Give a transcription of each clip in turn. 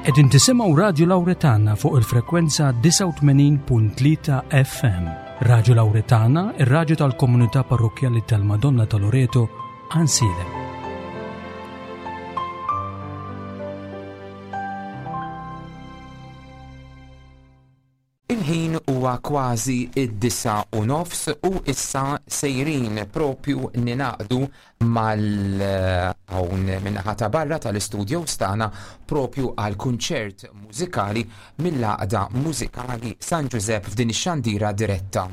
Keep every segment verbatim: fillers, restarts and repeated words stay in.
Qegħdin tisimgħu Radju Lawretana fuq il-frekwenza disgħa u tmenin punt tlieta F M. Radju Lawretana, ir-radju tal-komunità parrokkjali tal-Madonna ta' Loreto, Għajnsielem. Il-ħin huwa kważi id-disa u nofs u issa sejrin propju ninaqdu mal-hawn min-naħa ta' barra tal-istudio tagħna propju għal kunċert mużikali mill-Għaqda Mużikali San Ġużepp f'din ix-xandira diretta.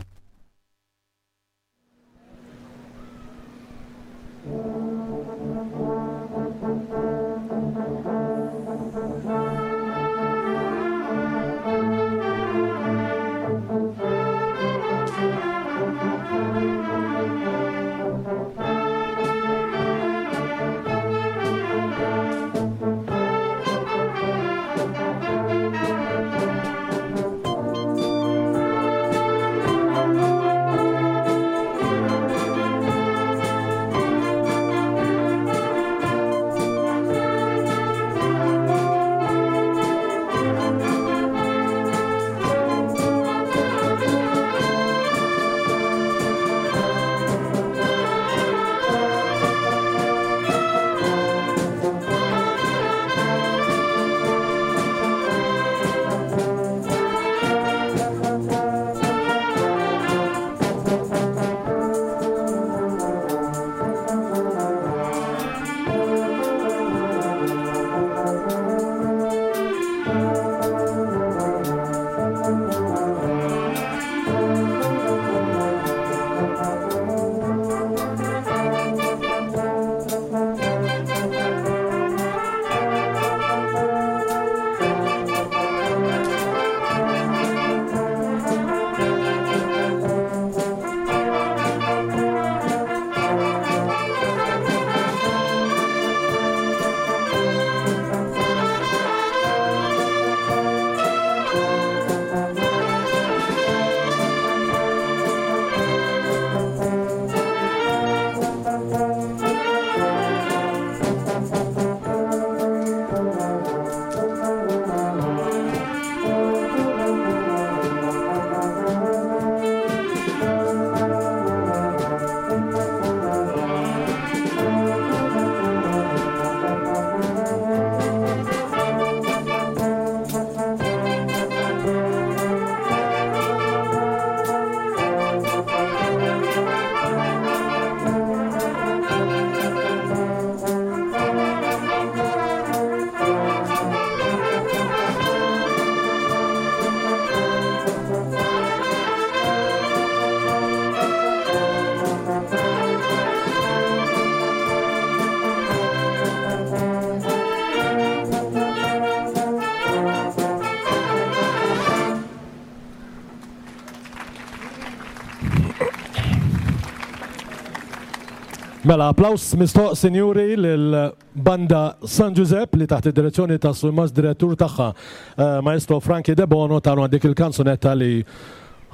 Mela, applaus mistoq, sinjuri, lil-banda San Ġużepp li taħt id-direzzjoni ta' Surmast direttur tagħha, eh, Maestro Frankie De Bono, tagħna dik il-kanzunetta li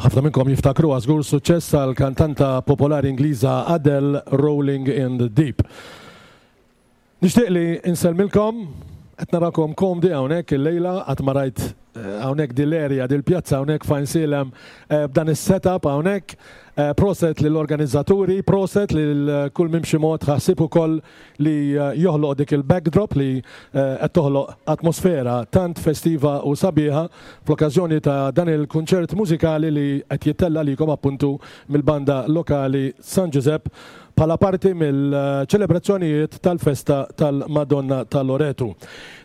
ħafna minnkom jiftakruha żgur suċċess għall-kantanta popolari Ingliża Adele, Rolling in the Deep. Nixtieq li insellmilkom, qed narakom komdi hawnhekk illejla, qatt ma rajt, eh, hawnhekk dil-area, dil-pjazza hawnhekk f'Għajnsielem, eh, b'dan is-setup hawnhekk. Eh, proset lill-organizzaturi, proset lil kull min b'xi mod ħassib ukoll li, eh, joħloq dik il-backdrop li, eh, qed toħloq atmosfera tant festiva u sabiħa fl-okkażjoni ta' dan il-kunċert mużikali li qed jittella likom appuntu mill-banda lokali San Ġużepp bħala parti mill-ċelebrazzjonijiet tal-festa tal-Madonna ta' Loretu.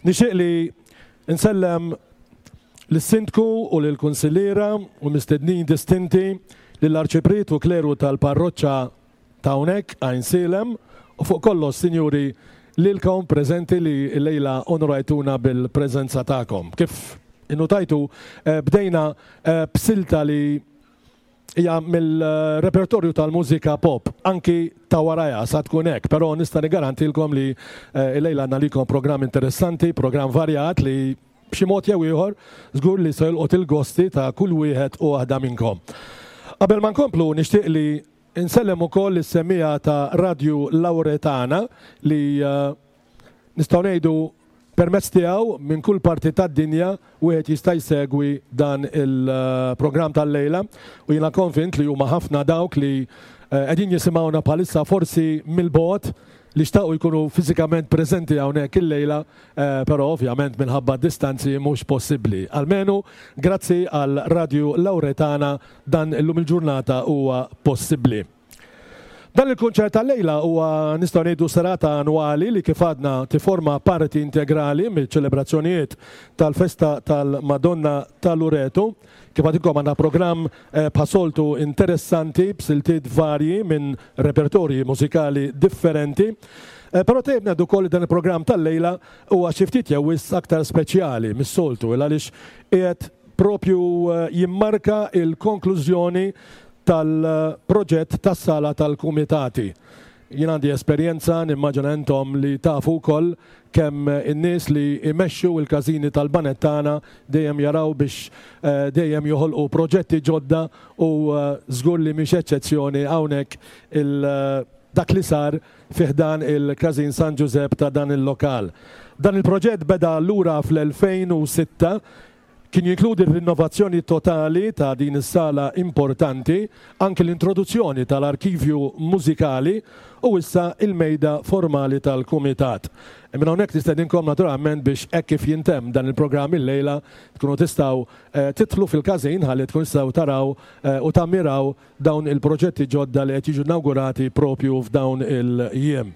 Nixtieq li nsellem lis-Sindku u lill-Kunsilliera u mistednin distinti, lill-Arċipriet u kleru tal-parroċċa ta' hawnhekk Għajnsielem, u fuq kollox, sinjuri, lilkom preżenti li llejla onorajtuna bil-preżenza tagħkom. Kif innutajtu, eh, bdejna, eh, b'silta li hija mill-repertorju tal-mużika pop, anki ta' warajha sa tkun hekk, però nista' nigarantilkom li, eh, illejla għandna likom programm interessanti, programm varjat li b'xi mod jew ieħor żgur li se jolqot il-gosti ta' kull wieħed u waħda minnkom. Qabel ma nkomplu nixtieq li nsellem ukoll is-semmiegħa ta' Radju Lawretana li, eh, nistgħu ngħidu Permezz tiegħu minn kull parti tad-dinja wieħed jista' jsegwi dan il-programm tal-lejla u jiena konvint li huma ħafna dawk li qegħdin jisimgħuna bħalissa forsi mill-bogħod li xtaqu jkunu fiżikament preżenti hawnhekk illejla, però ovvjament minħabba distanzi mhux possibbli. Almenu grazzi għal Radju Lauretana dan illum il-ġurnata huwa possibbli. Dan il-kunċert tal-lejla huwa nistgħu ngħidu serata annwali li kif għadna tiforma parti integrali mill-ċelebrazzjonijiet tal-festa tal-Madonna ta' Loreto. Kif għadilkom għandna programm bħasoltu interessanti b'siltiet varji minn repertorji mużikali differenti. Però tejb ngħidu wkoll li dan il-programm tal-lejla huwa xi ftit jew wisq aktar speċjali mis-soltu għaliex qiegħed propju jimmarka il-konklużjoni tal-proġett tas-sala tal-kumitati. Jien għandi esperjenza, nimmaġina intom li tafu wkoll kemm in-nies li jmexxu l-każini tal-banet tagħna dejjem jaraw biex dejjem joħolqu proġetti ġodda u żgur li mhix eċċezzjoni hawnhekk dak li sar fi ħdan il-Każin San Ġużepp ta' dan il-lokal. Dan il-proġett beda lura fl-elfejn u sitta, kien jinkludi r-rinnovazzjoni totali ta' din is-sala importanti, anki l-introduzzjoni tal-arkivju mużikali u issa il-mejda formali tal-kumitat. Minn hawnhekk nistedinkom naturalment biex hekk kif jintemm dan il-programm illejla tkunu tistgħu tidħlu fil-każin ħalli tkun tistgħu taraw u tammiraw dawn il-proġetti ġodda li qed jiġu inaugurati propju f'dawn il-jiem.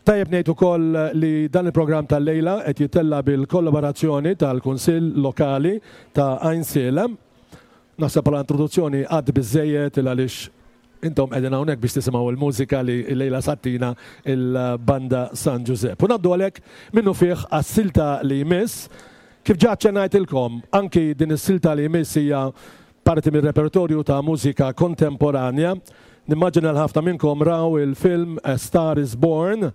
Tajjeb ngħid ukoll li dan il-programm tal-lejla qed jittella' bil-kollaborazzjoni tal-Kunsill Lokali ta' Għajnsielem. Naħseb bħala introduzzjoni għad biżejjed il għaliex intom qegħdin hawnhekk biex tisimgħu l-mużika li l-lejla sattina il-Banda San Ġużepp. U ngħaddu għalhekk minnu fih għas-silta li jmiss. Kif ġa aċċennajtilkom, anki din is-silta li jmiss hija parti mir-repertorju ta' mużika kontemporanja. Nimmaġina l ħafna minnkom raw il-film A Star is Born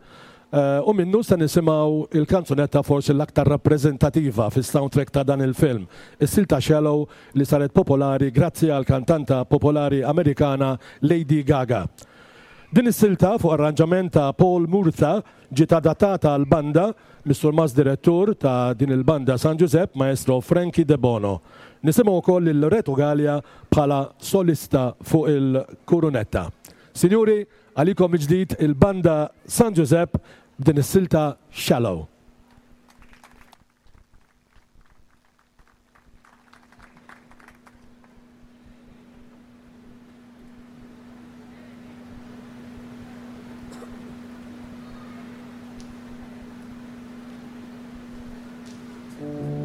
u minnu se nisimgħu il-kanzunetta forsi l-aktar rappreżentativa fis-soundtrack ta' dan il-film, is-silta Shallow li saret popolari grazzi għal kantanta popolari Amerikana Lady Gaga. Din is-silta fuq arranġament ta' Paul Murtha ġiet adattata għal banda mis-surmast direttur ta' din il-banda San Ġużepp, Maestro Frankie De Bono. Nisimgħu wkoll lil Loreto Galea bħala solista fuq il-kurunetta. Sinjuri, għalikom il-ġdid il-banda San Ġużepp b'din is-silta Shallow. Thank you.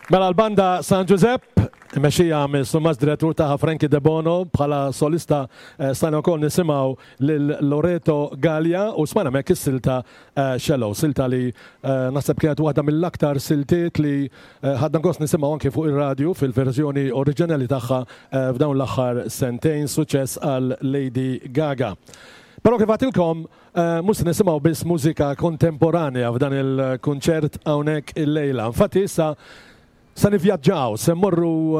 Mela l-banda San Giuseppe, mexxija mis-surmast direttur tagħha Frankie Debono, bħala solista eh, stajna wkoll nisimgħu lil Loreto Gallia u smajna hemmhekk is-silta eh, Shallow, silta li eh, naħseb kienet waħda mill-aktar siltiet li ħadna gost nisimgħu anke fuq ir-radju fil-verżjoni oriġinali tagħha f'dawn l-aħħar sentejn, suċċess għal Lady Gaga. Però kif għedtilkom, mhux se nisimgħu biss mużika kontemporanja f'dan il-kunċert hawnhekk illejla. Infatti issa se nivvjaġġaw, se mmorru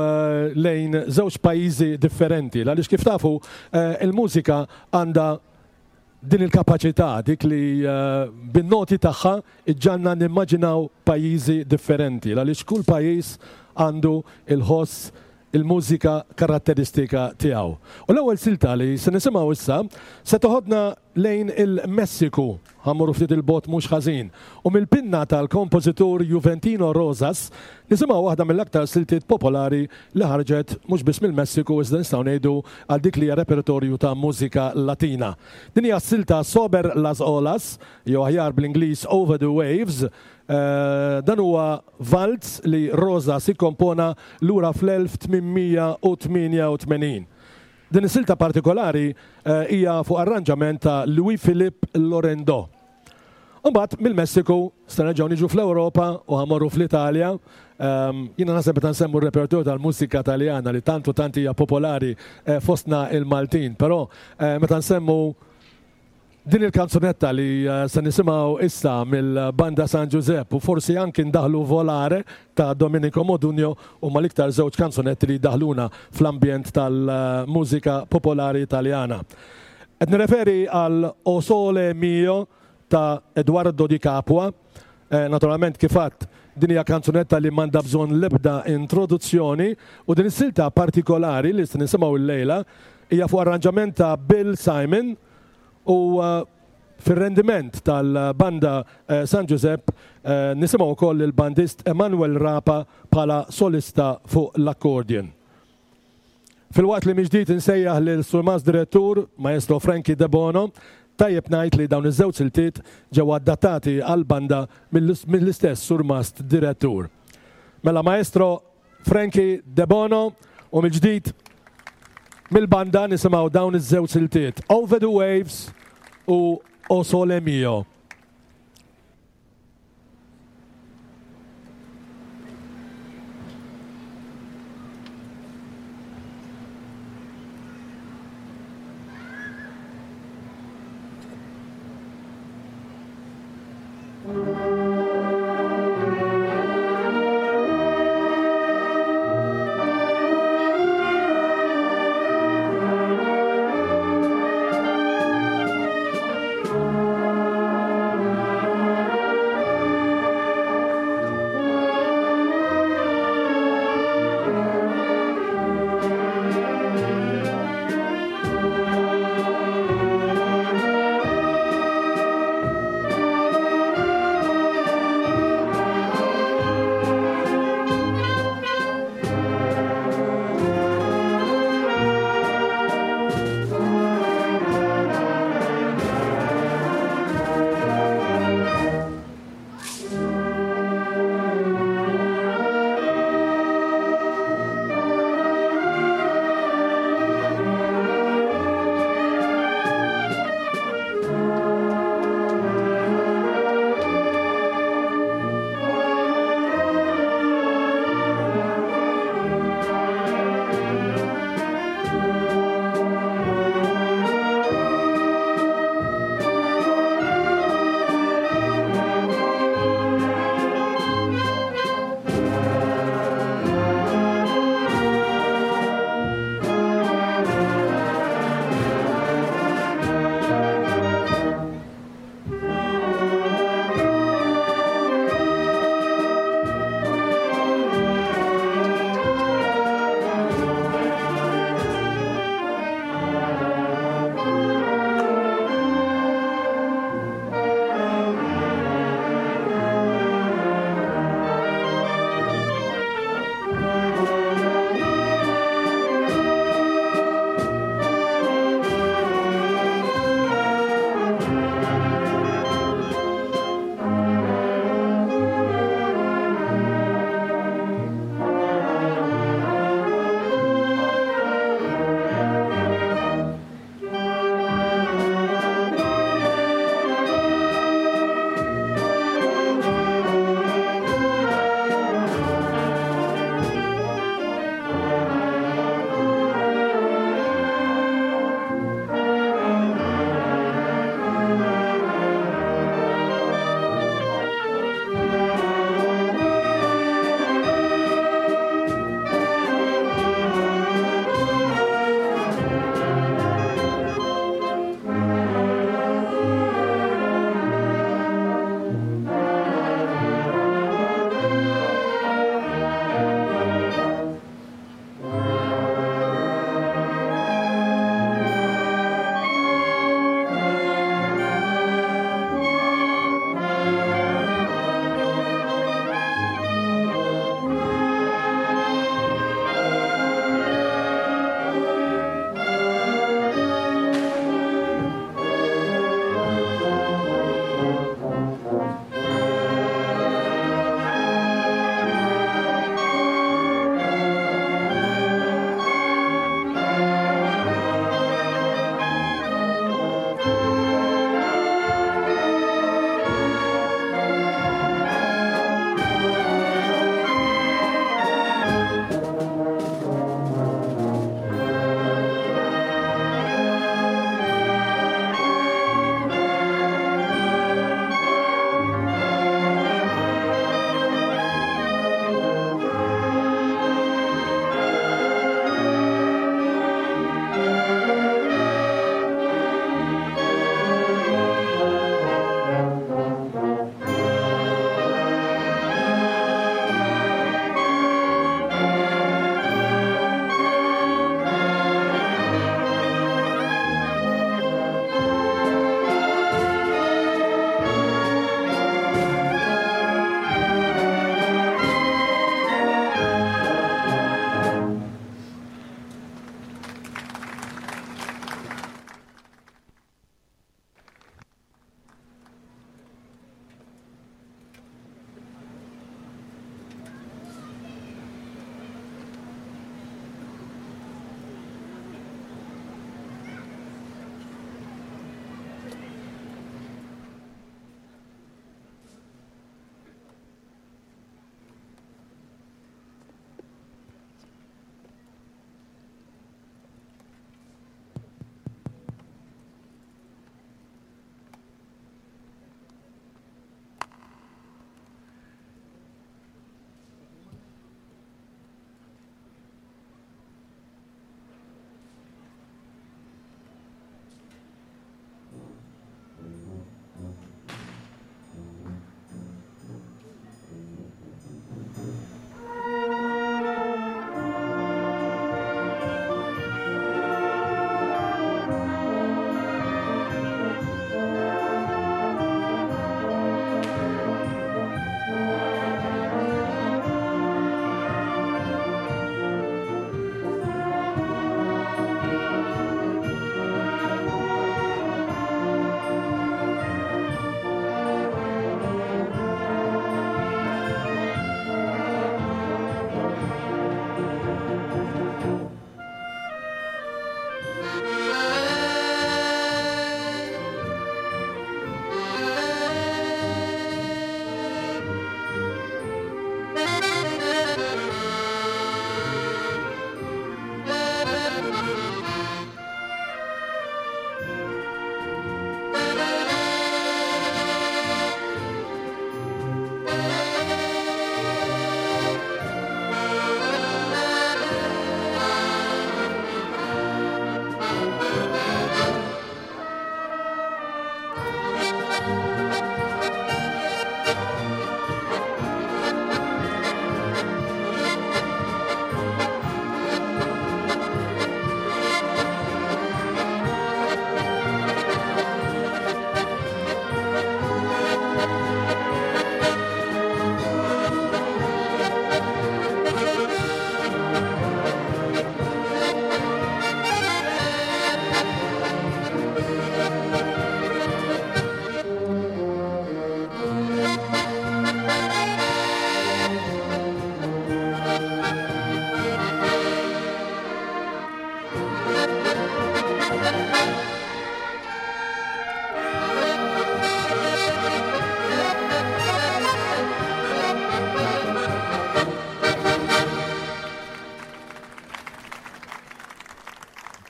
lejn żewġ pajjiżi differenti, għaliex kif tafu il-mużika għandha din il-kapaċità, dik li bin-noti tagħha iġġanna nimmaġinaw pajjiżi differenti, għaliex kull pajjiż għandu il-ħoss, il-mużika karatteristika tiegħu. U l-ewwel silta li se nisimgħu issa se toħodna lejn il-Messiku, ħa mmorru ftit il-bogħod mhux ħażin. U mill-pinna tal-kompożitur Juventino Rosas nisimgħu waħda mill-aktar siltiet popolari li ħarġet mhux biss mill-Messiku iżda nistgħu ngħidu għal dik li hija repertorju ta' mużika Latina. Din hija s-silta Sober las Olas, jew aħjar bl-Ingliż Over the Waves. Eh, dan huwa valz li Rosas ikkompona lura fl-elf tmien mija u tmienja u tmenin. Din is-silta partikolari eh, hija fuq arranġament ta' Louis Philippe Lorendo. Imbagħad mill-Messiku se nerġgħu niġu fl-Ewropa u ħa mmorru fl-Italja. Ehm, jiena naħseb meta nsemmu r-repertorju tal-mużika Taljana li tantu tant hija popolari, eh, fostna il-Maltin, però, eh, meta nsemmu din il-kanzunetta li, eh, se nisimgħu issa mill-Banda San Giuseppe u forsi anki ndaħlu Volare ta' Domenico Modugno u mal-iktar żewġ kanzunetti li daħluna fl-ambjent tal-mużika popolari Italjana. Qed nirreferi għal O Sole Mio ta' Eduardo Di Capua. Eh, naturalment kif għedt din hija kanzunetta li m'għandha bżonn l-ebda introduzzjoni u din is-silta partikolari li se nisimgħu l-lejla hija fuq arranġament ta' Bill Simon u, eh, fir-rendiment tal-banda, eh, San Giuseppe, eh, nisimgħu wkoll il-bandist Emanuel Rapa bħala solista fuq l-accordion. Filwaqt li mill-ġdid insejjaħ lil Surmast Direttur Maestro Frankie Debono, tajjeb ngħid li dawn iż-żewġ siltiet ġew adattati għall-banda mill-istess Surmast Direttur. Mela Maestro Frankie Debono u mill-ġdid mill-banda nisimgħu dawn iż-żewġ siltiet Over the Waves u O Sole Mio. Thank you.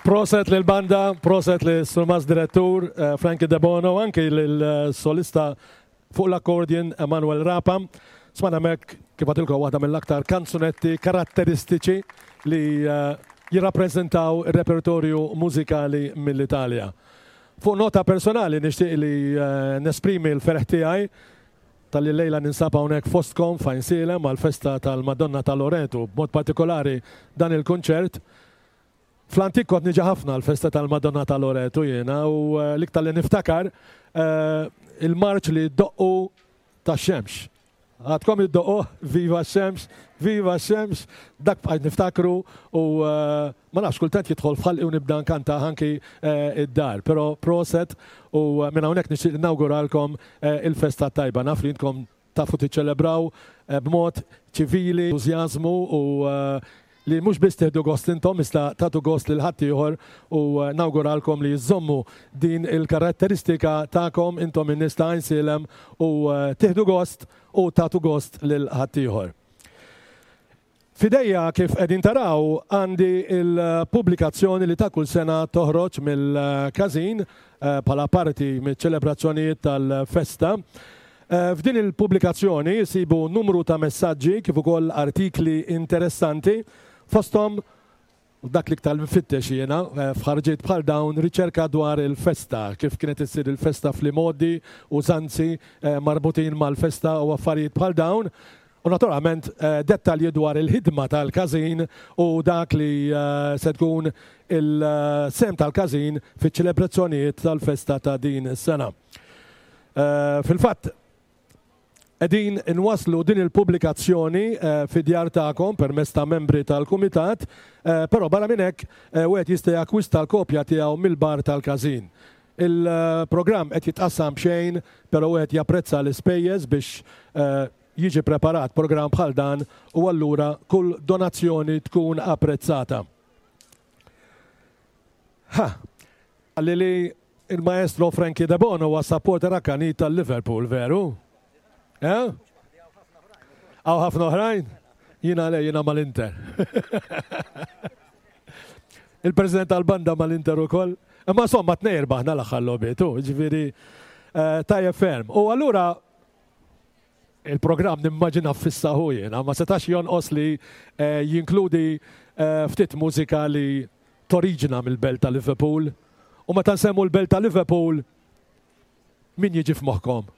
Proset lil-banda, proset lil-Surmast Direttur eh, Frankie Debono, anki lil-solista fuq l-accordion Emanuel Rapa. Smajna hemmhekk kif għedtilkom waħda mill-aktar kanzunetti karatteristiċi li eh, jirrappreżentaw il-repertorju mużikali mill-Italja. Fuq nota personali nixtieq li eh, nesprimi l-ferħ tiegħi talli llejla ninsab hawnhekk fostkom f'Għajnsielem għal-festa tal-Madonna ta' Loreto, b'mod partikolari dan il-kunċert. Fl-antik kont niġi ħafna l-festa tal-Madonna ta' Loreto jiena u eh, l-iktar li niftakar eh, il-marċ li ddoqqu tax-xemx. Għadkom iddoqquh, viva x-xemx, viva x-xemx, dak bqajt niftakru u eh, ma nafx kultant jidħol f'ħalqi u nibda nkanta anki id-dar. Però proset u minn hawnhekk nixtieq nawguralkom il-festa tajba. Naf li intkom tafu tiċċelebraw b'mod ċivili, entużjażmu u li mhux biss tieħdu gost intom, iżda tagħtu gost lil ħaddieħor u eh, nawguralkom li żżommu din il-karatteristika tagħkom intom in-nies ta' Għajnsielem u eh, tieħdu gost u tagħtu gost lil ħaddieħor. F'idejja kif qegħdin taraw għandi il-pubblikazzjoni li ta' kull sena toħroġ mill-każin eh, bħala parti mill-ċelebrazzjonijiet tal-festa. F'din il-pubblikazzjoni jsibu numru ta' messaġġi kif ukoll artikli interessanti fosthom dak li iktar nfittex jiena eh, f'ħarġiet bħal dawn riċerka dwar il-festa, kif kienet issir il-festa fl-imgħoddi, użanzi eh, marbutin mal-festa u affarijiet bħal dawn. U naturalment eh, dettalji dwar il-ħidma tal-każin u dak li se tkun il-sehem tal-każin fiċ-ċelebrazzjonijiet tal-festa ta' din is-sena. Fil-fatt, qegħdin inwasslu din il-pubblikazzjoni eh, fid-djar tagħkom permezz ta' membri tal-kumitat, eh, però barra minn hekk eh, wieħed jista' jakkwista l-kopja tiegħu mill-bar tal-każin. Il-programm qed jitqassam b'xejn, però wieħed japprezza l-ispejjeż biex jiġi preparat programm bħal dan u allura kull donazzjoni tkun apprezzata. Ha, għalli li il-maestro Frankie De Bono huwa supporter akkanit tal-Liverpool, veru? Eh? Hawn ħafna oħrajn? Jiena le, jiena mal-Inter. Il-president tal-banda mal-Inter ukoll. Imma insomma tnejn rbaħna l-aħħar logħbiet, ġifieri eh, tajjeb ferm. U allura il-programm nimmaġina ffissahu jiena, ma setax jonqos li eh, jinkludi eh, ftit mużika li toriġina mill-belt ta' Liverpool. U meta nsemmu l-belt ta' Liverpool, min jiġi f'moħħkom?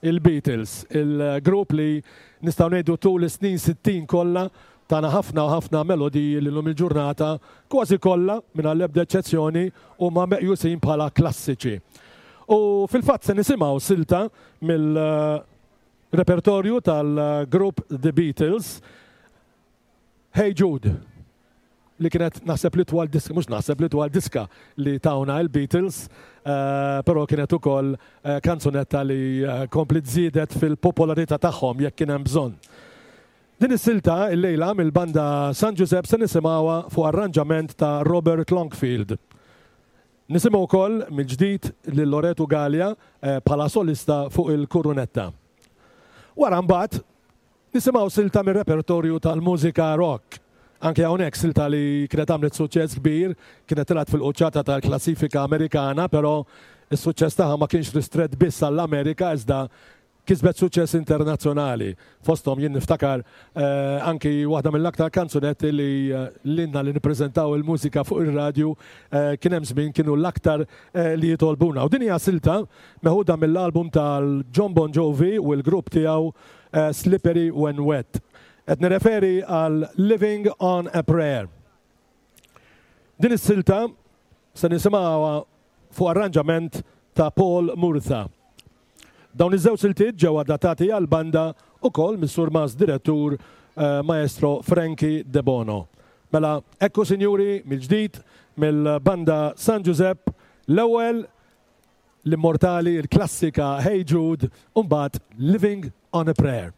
Il-Beatles, il-grupp li nistgħu ngħidu tul is-snin sittin kollha tana ħafna u ħafna melodiji li llum il-ġurnata kważi kollha mingħajr l-ebda eċċezzjoni huma meqjusin bħala klassiċi. U fil-fatt se nisimgħu silta mill-repertorju tal-grupp The Beatles, Hey Jude, li kienet naħseb l-itwal diska, mhux naħseb l-itwal diska li tawna il-Beatles, eh, però kienet ukoll eh, kanzunetta li eh, kompliet żiedet fil-popolarità tagħhom jekk kien hemm bżonn. Din is-silta illejla mill-banda San Giuseppe se nisimgħuha fuq arranġament ta' Robert Longfield. Nisimgħu wkoll mill-ġdid lil Loreto Galea bħala solista fuq il-kurunetta. Wara mbagħad nisimgħu silta mir-repertorju tal-mużika rock. Anke hawnhekk silta li kienet għamlet suċċess kbir, kienet telgħet fil-quċċata tal-klassifika Amerikana, però s-suċċess tagħha ma kienx ristrett biss għall-Amerika iżda kisbet suċċess internazzjonali. Fosthom jien niftakar eh, anki waħda mill-aktar kanzunetti li eh, lilna li nippreżentaw il-mużika fuq ir-radju eh, kien hemm żmien kienu l-aktar eh, li jitolbuna. U din hija silta meħuda mill-album tal-Jon Bon Jovi u l-grupp tiegħu eh, Slippery When Wet. Qed nirreferi għal Living on a Prayer. Din is-silta se nisimgħuha fuq arranġament ta' Paul Murtha. Dawn iż-żewġ siltiet ġew adattati għal banda ukoll mis-surmast direttur eh, Maestro Frankie De Bono. Mela, ekku sinjuri mill-ġdid mill-banda San Giuseppe l-ewwel l-immortali, il-klassika Hey Jude, u mbagħad Living on a Prayer.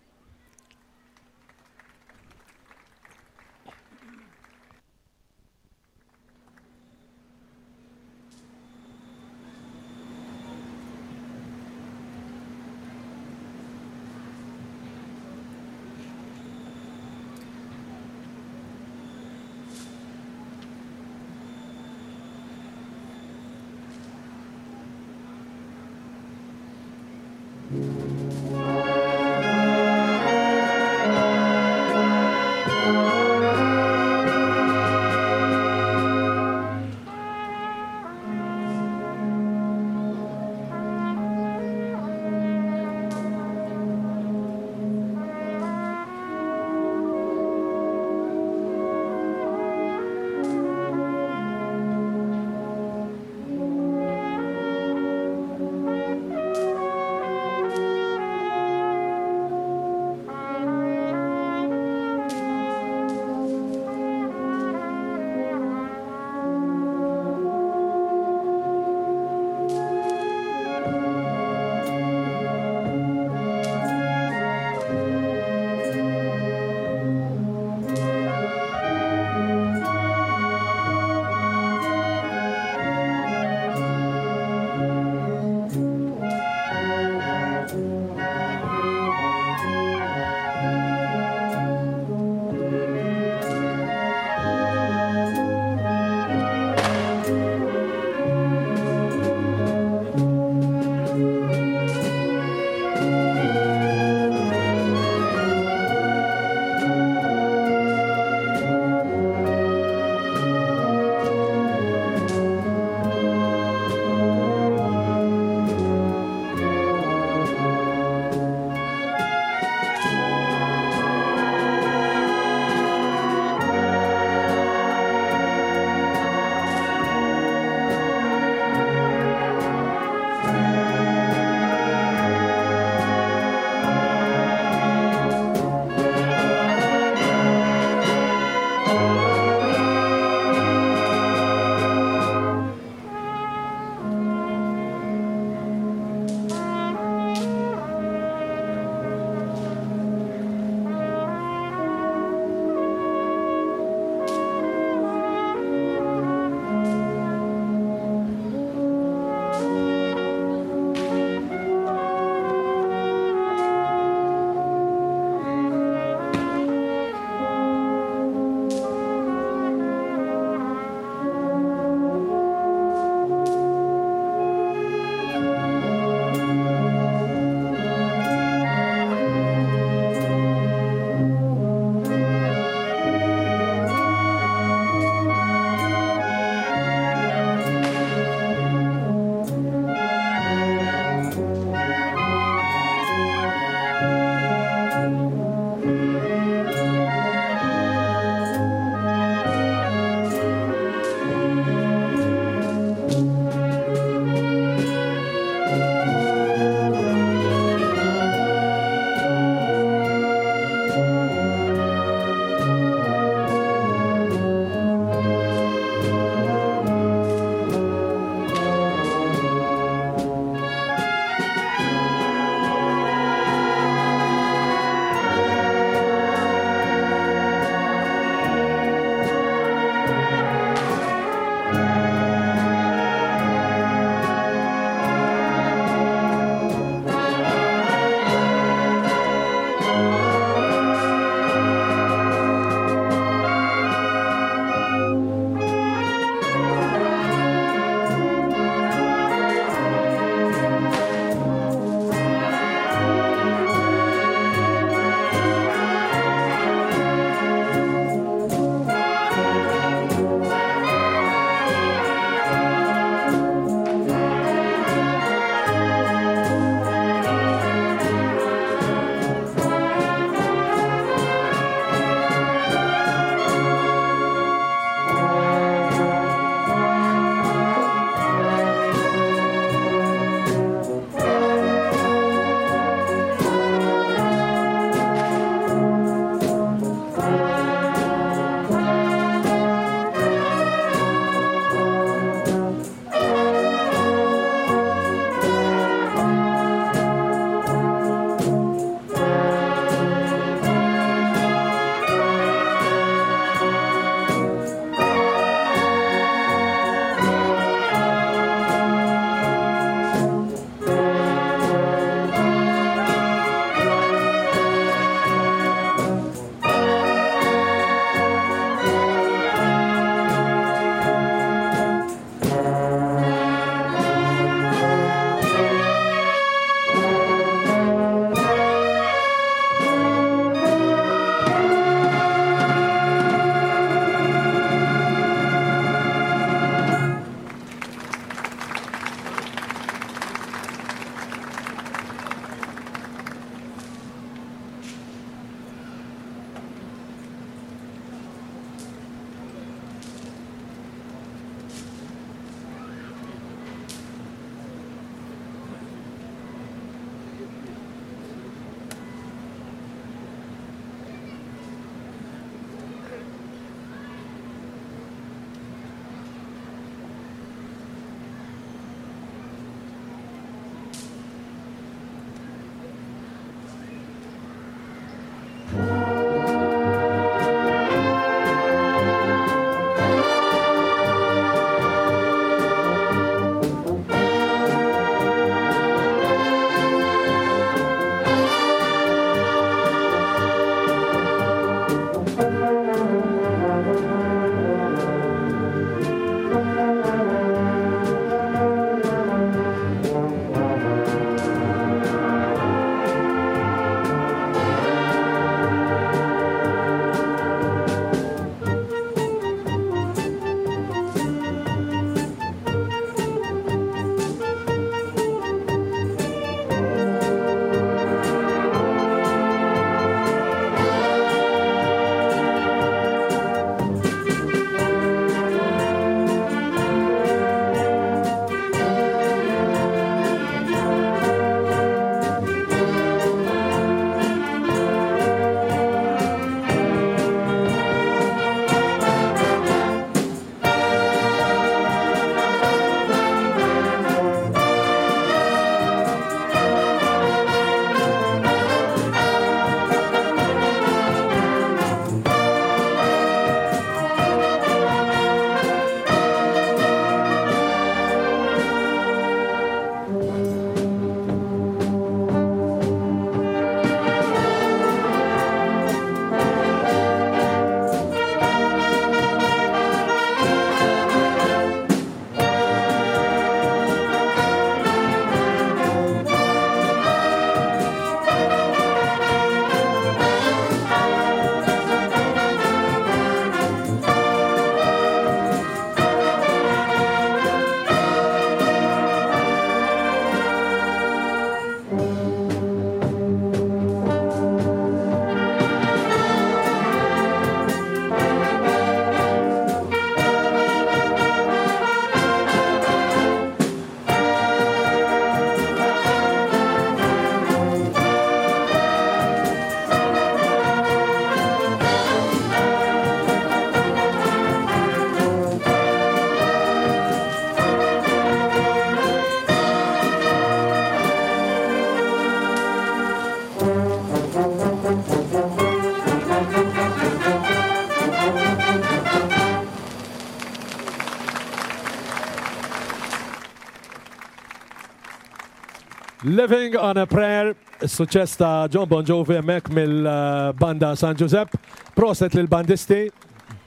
Living on a Prayer, suċċess ta' Jon Bon Jovi hemmhekk mill-banda San Giuseppe. Proset lill-bandisti,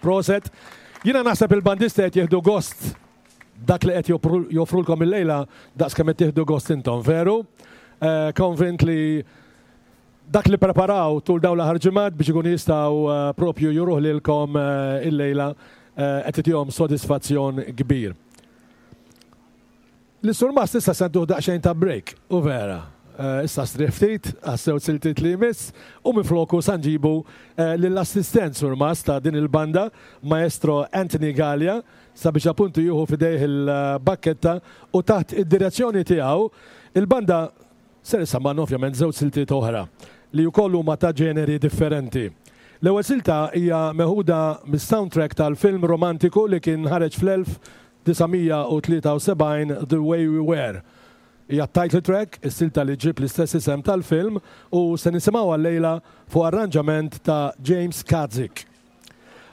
proset. Jiena naħseb il-bandisti qed jieħdu gost dak li qed joffrulkom il-lejla daqs kemm qed tieħdu gost intom, veru? Konvint li dak li preparaw tul dawn l-aħħar ġimgħat biex ikunu jistgħu propju juruh lilkom il-lejla qed itihom sodisfazzjon kbir. L-surmast issa se ntuh daqsxejn ta' break, u vera. Issa strieħ ftit, għas-sew siltiet li jmiss, u minfloku sa nġibu lill-assistent surmast ta' din il-banda, Maestro Anthony Gallia, sabiex appuntu jieħu f'idejh il-bakketta u taħt id-direzzjoni tiegħu il-banda ser issammanna ovvjament żewġ siltiet oħra li wkoll huma ta' ġeneri differenti. L-ewwel silta hija meħuda mis-soundtrack tal-film romantiku li kien ħareġ fl-elf disa' mija u tlieta u sebgħin The Way We Were. Hija title track, is-silta li ġib l-istess isem tal-film u se nisimgħuha llejla fuq arranġament ta' James Kadzik.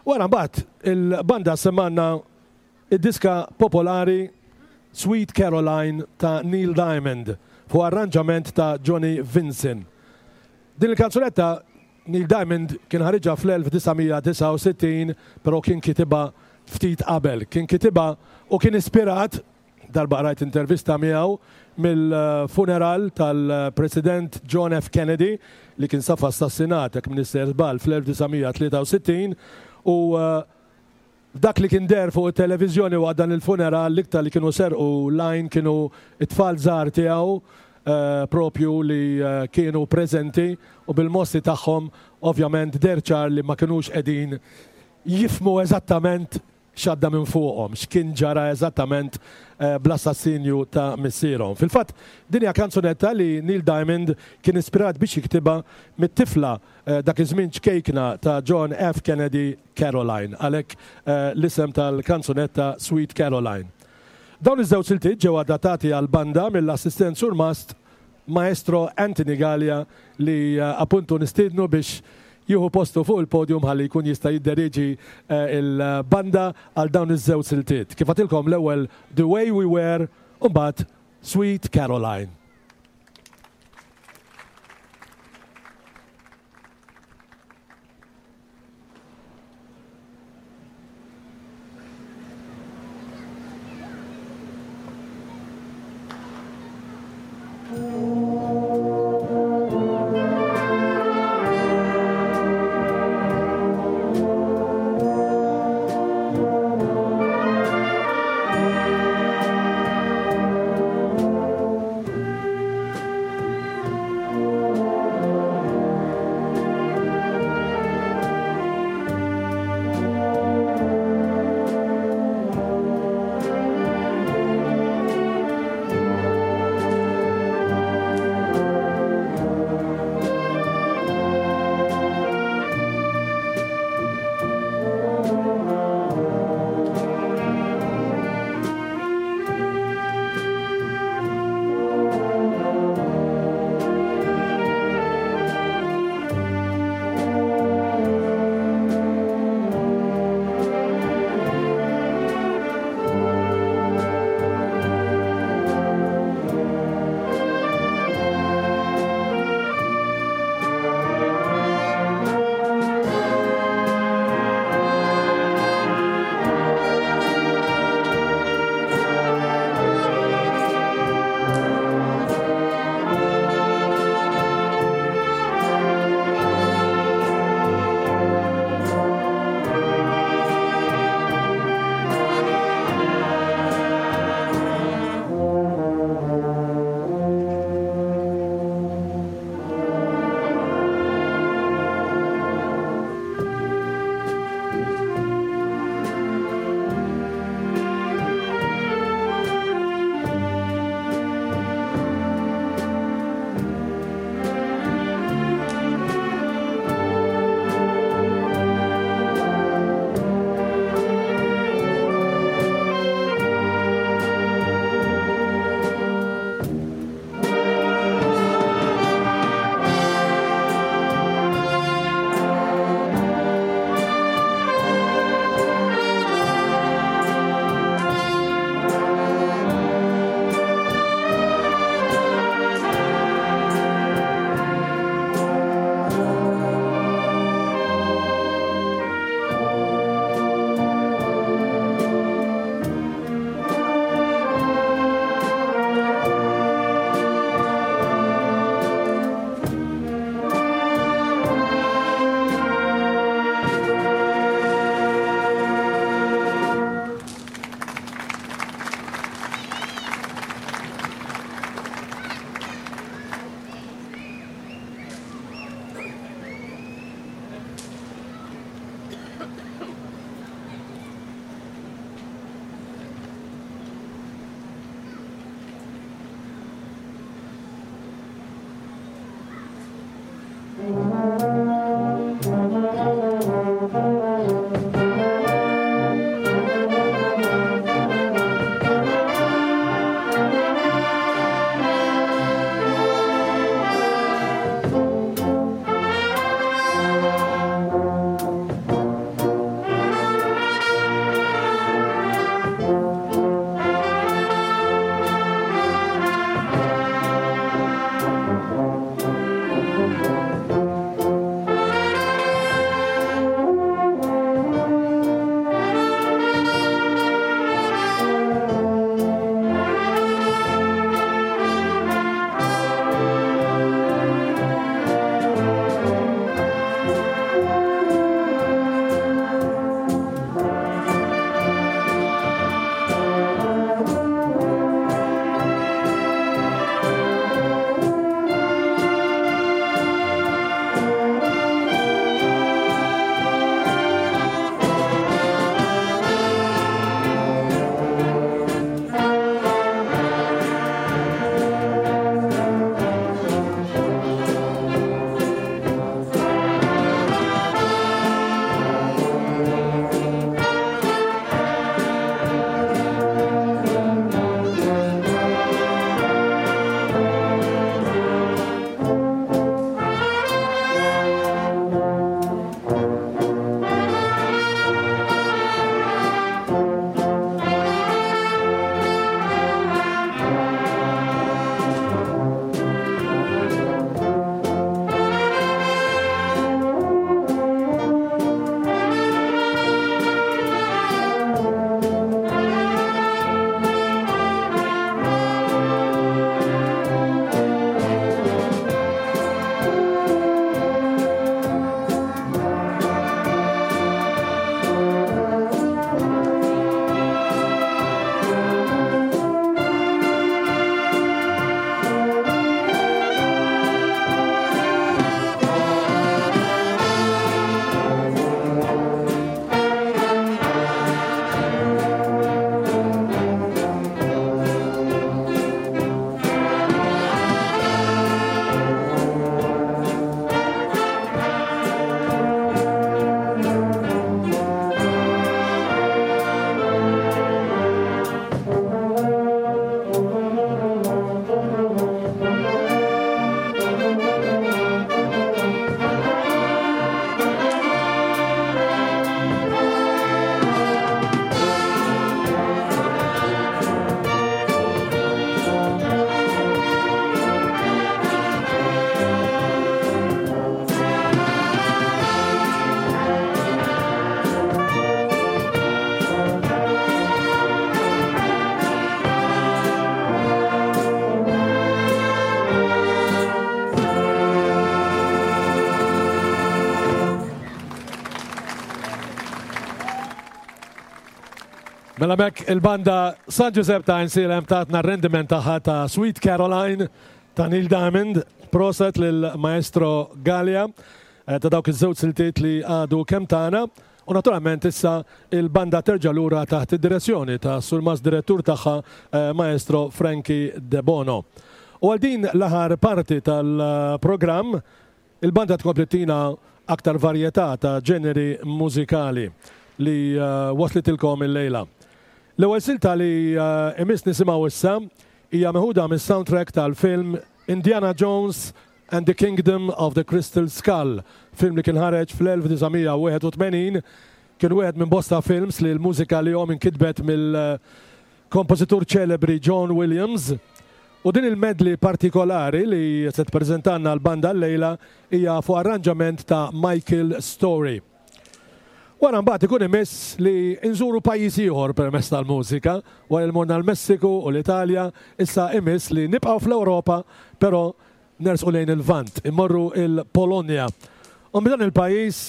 Wara mbagħad il-banda semmanna id-diska popolari Sweet Caroline ta' Neil Diamond fuq arranġament ta' Johnny Vinson. Din il-kanzunetta Neil Diamond kien ħariġha fl-elf disa' mija disgħa u sittin, però kien kitibha ftit qabel. Kien kitibha u kien ispirat, darba qrajt intervista miegħu, mill-funeral tal-President John F. Kennedy li kien safa assassinat, jekk m'iniex żball, fl-elf disa' mija tlieta u sittin, u dak li kien der fuq it-televiżjoni waqt dan il-funeral l-iktar li kienu serqu lajn kienu it-tfal żgħar tiegħu propju li kienu preżenti u bil-mossi tagħhom ovvjament der ċar li ma kinux qegħdin jifmu eżattament x'għadda minn fuqhom, x'kien ġara eżattament bl-assassinju ta' missierhom. Fil-fatt, din hija kanzunetta li Neil Diamond kien ispirat biex jiktibha mit-tifla dak iż-żmien ċkejkna ta' John F. Kennedy, Caroline, għalhekk l-isem tal-kanzunetta Sweet Caroline. Dawn iż-żewġ siltiet ġew adattati għal banda mill-assistent surmast Maestro Anthony Gallia li appuntu nistiednu biex jieħu postu fuq il-podium ħalli jkun jista' jidderieġi il-banda għal dawn iż-żewġ siltiet. Kif għatilkom l-ewwel The Way We Were u mbagħad Sweet Caroline. Thank Mela mek il-banda San Giuseppe ta' Għajnsielem tatna r-rendiment tagħha ta' Sweet Caroline ta' Neil Diamond, proset lil Maestro Gallia eh, ta' dawk iż-żewġ siltiet li għadu kemm tagħna. U naturalment issa il-banda terġa' lura taħt id-direzzjoni ta' Surmast Direttur tagħha eh, Maestro Frankie De Bono. U għal din l-aħħar parti tal-programm il-banda tkompli tina aktar varjetà ta' ġeneri mużikali li eh, waslitilkom il-lejla. L-ewwel silta li eh, imiss nisimgħu issa hija meħuda mis-soundtrack tal-film Indiana Jones and the Kingdom of the Crystal Skull, film li kien ħareġ fl-elf disa' mija u wieħed u tmenin, kien wieħed minn bosta films li l-mużika li jom inkitbet mill-kompożitur ċelebri John Williams. U din il-medley partikolari li se tippreżentanna l-banda l-lejla hija fuq arranġament ta' Michael Story. Wara mbagħad ikun imiss li nżuru pajjiż ieħor permezz tal-mużika, wara li morna l-Messiku u l-Italja, issa imiss li nibqgħu fl-Ewropa, però nersqu lejn il-Lvant, immorru il-Polonja. U minn dan il-pajjiż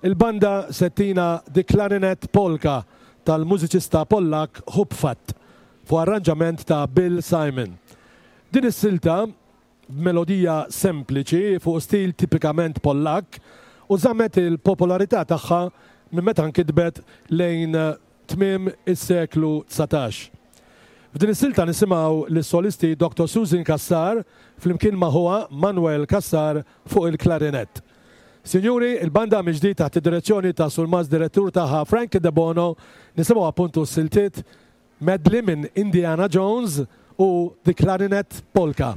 il-banda settina The Clarinet Polka tal-mużiċista Pollak Hupfat fuq arranġament ta' Bill Simon. Din is-silta b'melodija sempliċi fuq stil tipikament Pollak u żammet il-popolarità tagħha minn meta nkitbet lejn tmiem is-seklu dsatax. F'din is-silta nisimgħu lis-solisti Doctor Susan Cassar flimkien ma' ħuha Manuel Cassar fuq il-klarinett. Sinjuri, il-banda mill-ġdid taħt id-direzzjoni ta' Surmast Direttur tagħha Frank De Bono, nisimgħu appuntu s-siltiet medley minn Indiana Jones u The Clarinet Polka.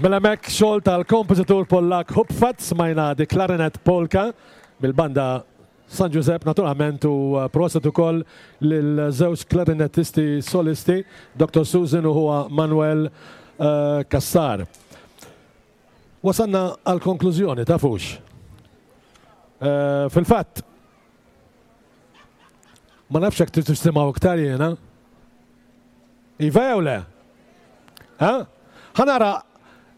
Mela mek xogħol tal-kompożitur Pollak Hupfat smajna di Clarinet Polka mill-banda San Giuseppe naturalment u proset ukoll lil żewġ klarinettisti solisti Doctor Susan u huwa Manuel uh, Cassar. Wasanna għal konklużjoni tafux. Uh, Fil-fatt ma nafx hekk trid tisimgħu iktar jiena. Iva jew le? Ha? Ħanara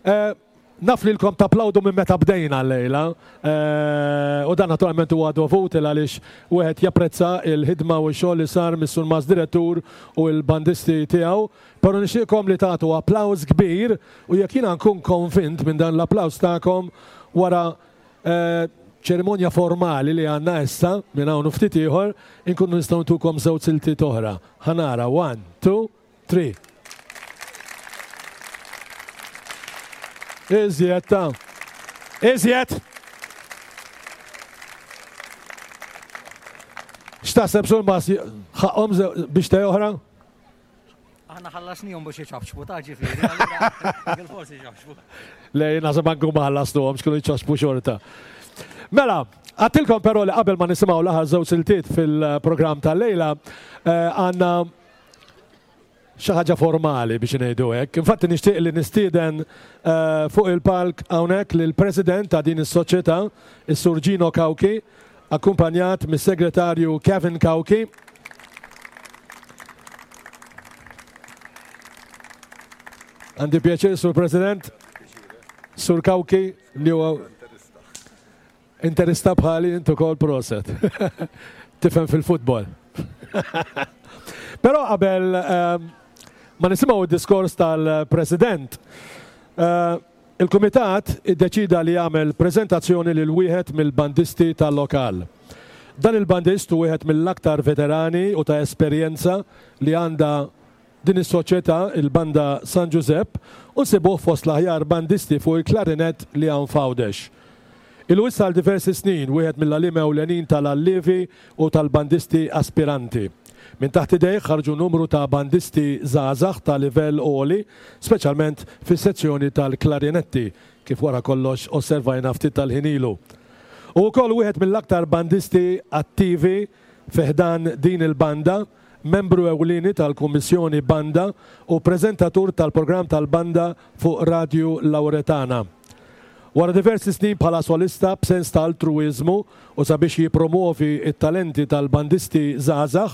Uh, naf lilkom taplawdu minn meta bdejna l-lejla uh, u dan naturalment huwa dovut għaliex wieħed japprezza il-ħidma u x-xogħol li sar mis-surmas direttur u l-bandisti tiegħu, però nixtieqkom li tagħtu applaws kbir u jekk jiena nkun konvint minn dan l-applaws tagħkom wara uh, ċerimonja formali li għandna issa minn hawn ftit ieħor inkunu nistgħu ntukom żewġ siltiet oħra. Ħanara one, two, three. Iżjed ta' iżjed. X'taħseb Surmas, ħaqhom biex te oħra? Aħna ħallasnihom biex iċapċpu ta' ġifieri, allura bil-forsi iċapċpu. Le, naħseb anke huma ħallastuhom x'kienu jċapċpu xorta. Mela, għattilkom però li qabel ma nisimgħu l-aħħar żewġ siltiet fil-programm tal-lejla, għandna xi ħaġa formali biex ngħidu hekk. Infatti nixtieq li nistieden fuq il-palk hawnhekk lill-President ta' din is-soċjetà, is-Sur Gino Cauchi, akkumpanjat mis-Segretarju Kevin Cauchi. Għandi pjaċir, Sur President, Sur Cauchi, li huwa interista bħali intu kol proset. Tifhem fil-futbol. Però qabel ma nisimgħu d-diskors tal-President, il-Kumitat iddeċida li jagħmel preżentazzjoni lil wieħed mill-bandisti tal-lokal. Dan il-bandist hu wieħed mill-aktar veterani u ta' esperjenza li għandha din is-soċjetà, il-Banda San Ġużepp, u nsibuh fost l-aħjar bandisti fuq il-klarinett li hawn f'Għawdex. Ilu issa għal diversi snin wieħed mill-għaliem ewlenin tal-allievi u tal-bandisti aspiranti. Minn taħt idejh ħarġu numru ta' bandisti żgħażagħ ta' livell għoli, speċjalment fis-sezzjoni tal-klarinetti, kif wara kollox osservajna ftit tal-ħin ilu. U wkoll wieħed mill-aktar bandisti attivi fi ħdan din il-banda, membru ewlieni tal-Kummissjoni Banda u preżentatur tal-programm tal-banda fuq Radju Lauretana. Wara diversi snin bħala solista b'sens ta' altruiżmu u sabiex jippromovi t-talenti tal-bandisti żgħażagħ,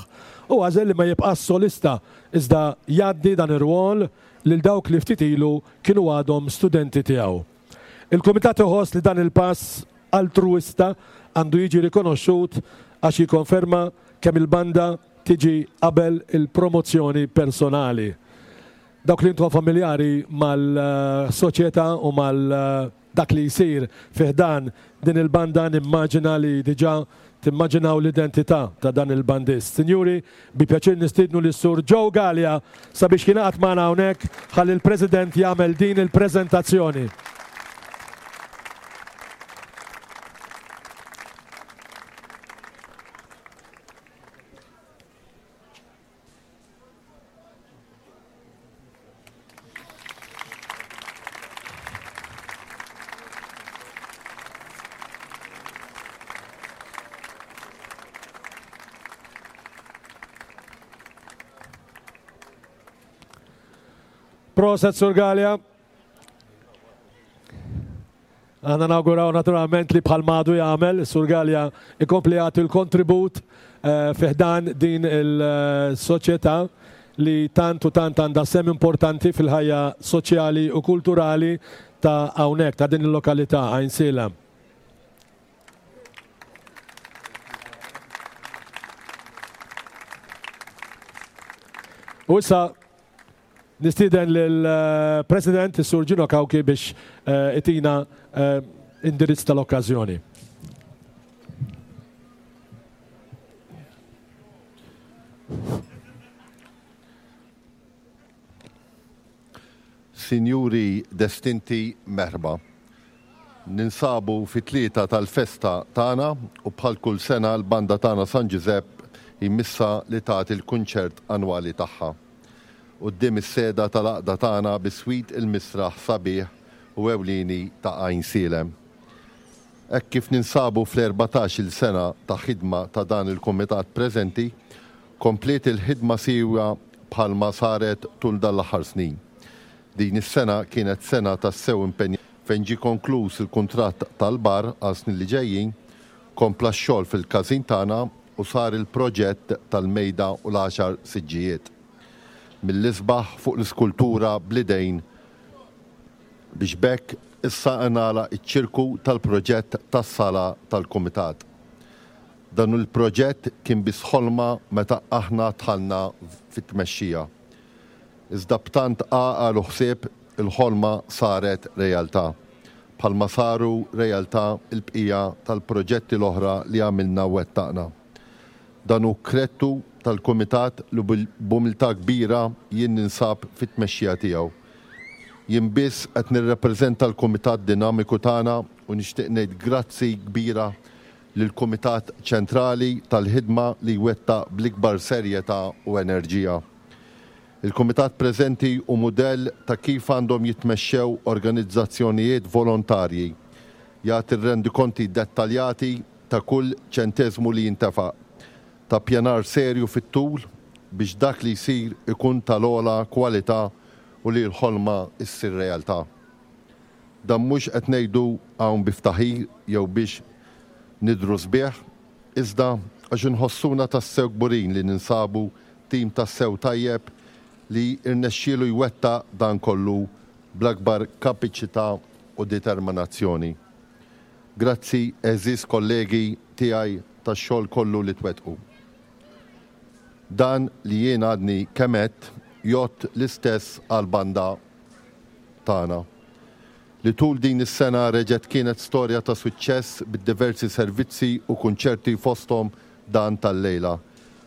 u għażel li ma jibqax solista iżda jgħaddi dan ir-rwol lil dawk li ftit ilu kienu għadhom studenti tiegħu. Il-Kumitat iħoss li dan il-pass altruista għandu jiġi rikonoxxut għax jikkonferma kemm il-banda tiġi qabel il-promozzjoni personali. Dawk li intom familjari mal-soċjetà u mal dak li jsir fi ħdan din il-banda nimmaġina li diġà timmaġinaw l-identità ta' dan il-bandist. Sinjuri, bi pjaċir nistiednu lis Sur Joe Galea sabiex jingħaqad magħna hawnhekk ħalli l-President jagħmel din il-preżentazzjoni. Proset Sur Galea. Aħna nawguraw naturalment li bħal madu jagħmel Sur Galea ikompli jagħti l-kontribut fi ħdan din il-soċjetà li tant u tant għandha sem importanti fil-ħajja soċjali u kulturali ta' hawnhekk ta' din il-lokalità Għajnsielem. U issa nistieden lill-President is-Sur Gino Cauchi biex itina indirizz tal-okkażjoni. Sinjuri destinti, merħba. Ninsabu fit-tlieta tal-festa tagħna u bħal kull sena l-banda tagħna San Ġużepp jmissa li tagħti l-kunċert annwali tagħha. Quddiem is-seda tal-għaqda tagħna biswit il-misraħ sabiħ u ewlieni ta' Għajnsielem. Hekk kif ninsabu fl-erbatax-il sena ta' ħidma ta' dan il-kumitat preżenti, kompliet il-ħidma siwja bħalma saret tul dan l-aħħar snin. Din is-sena kienet sena tassew impenja fejn ġie konkluż il-kuntratt tal-bar għal snin li ġejjin, kompla x-xogħol fil-każin tagħna u sar il-proġett tal-mejda u l-għaxar siġġijiet. Mill-isbaħ fuq l-iskultura bl-idejn biex bekk issa ngħalaq iċ-ċirku tal-proġett tas-sala tal-kumitat. Dan il-proġett kien biss ħolma meta aħna dħalna fit-tmexxija. Iżda b'tant għaqal u ħsieb il-ħolma saret realtà. Bħalma saru realtà il-bqija tal-proġetti l-oħra li għamilna u wettaqna. Dan hu krettu tal-kumitat li b'umiltà kbira jien ninsab fit-tmexxija tiegħu. Jien biss qed nirrepreżenta l-kumitat dinamiku tagħna u nixtieq ngħid grazzi kbira lill-Kumitat Ċentrali tal-ħidma li jwettaq bl-ikbar serjetà u enerġija. Il-Kumitat preżenti hu mudell ta' kif għandhom jitmexxew organizzazzjonijiet volontarji. Jagħti rendikonti dettaljati ta' kull ċenteżmu li jintefaq, ta' pjanar serju fit-tul biex dak li jsir ikun tal-ogħla kwalità u li l-ħolma issir realtà. Dan mhux qed ngħidu hawn bi ftaħir jew biex nidhru sbieħ, iżda għax inħossuna tassew kburin li ninsabu tim tassew tajjeb li irnexxielu jwettaq dan kollu bl-akbar kapaċità u determinazzjoni. Grazzi, għeżież kollegi tiegħi, tax-xogħol kollu li twettqu. Dan li jien għadni kemm għedt jgħodd l-istess għal-banda tagħna, li tul din is-sena reġgħet kienet storja ta' suċċess bid-diversi servizzi u kunċerti, fosthom dan tal-lejla,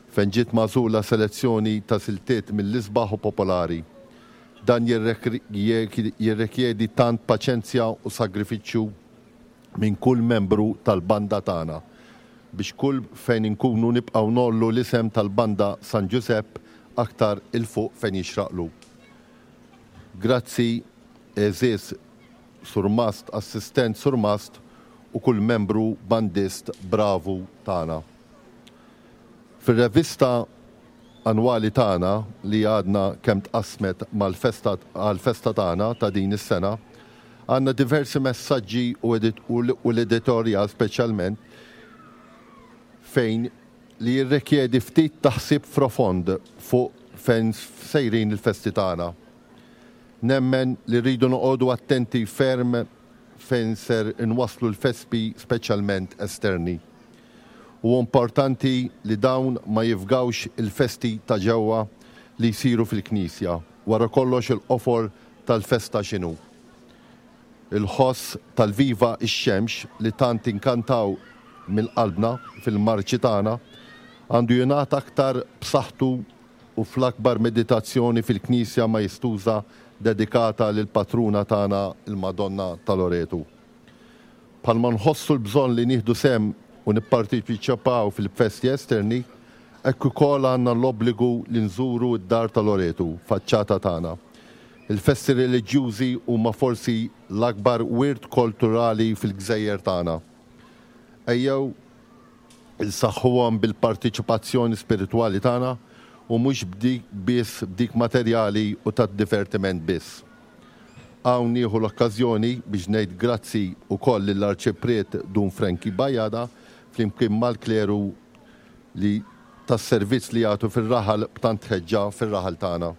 fejn ġiet magħżula selezzjoni ta' siltiet mill-isbaħ u popolari. Dan jirrikjedi tant paċenzja u sagrifiċċju minn kull membru tal-banda tagħna biex kull fejn inkunu nibqgħu ngħollu l-isem tal-banda San Giuseppe aktar 'il fuq fejn jixraqlu. Grazzi, għeżież surmast, assistent surmast u kull membru bandist bravu tagħna. Fir-revista annwali tagħna li għadna kemm tqasmet mal-festa għal-festa tagħna ta' din is-sena, għandna diversi messaġġi u l-editorial speċjalment fejn li jirrikjedi ftit taħsib profond fuq fejn sejrin il-festi tagħna. Nemmen li rridu noqogħdu attenti ferm fejn ser inwaslu l-festi, speċjalment esterni. U importanti li dawn ma jifgawx il-festi ta' ġewwa li jsiru fil-knisja. Wara kollox, il-qofol tal-festa x'inhu? Il-ħoss tal-Viva ix-Xemx li tant inkantaw mill-qalbna fil-marċi tagħna għandu jingħata aktar b'saħħtu u fl-akbar meditazzjoni fil-knisja majestuża dedikata lil patruna tagħna, il-Madonna ta' Loretu. Bħalma nħossu l-bżonn li nieħdu sehem u nipparteċipaw fil-festi esterni, hekk ukoll għandna l-obbligu li nżuru d-dar ta' Loretu, faċċata tagħna. Il-festi reliġjużi huma forsi l-akbar wirt kulturali fil-gżejjer tagħna. Ejjew insaħħuhom bil-partiċipazzjoni spiritwali tagħna u mhux b'dik biss, b'dik materjali u tad-divertiment biss. Hawn nieħu l-okkażjoni biex ngħid grazzi wkoll lill-Arċipriet Dun Frankie Bajada flimkien mal-kleru li tas-servizz li jagħtu fir-raħal b'tant ħeġġa fir-raħal tagħna.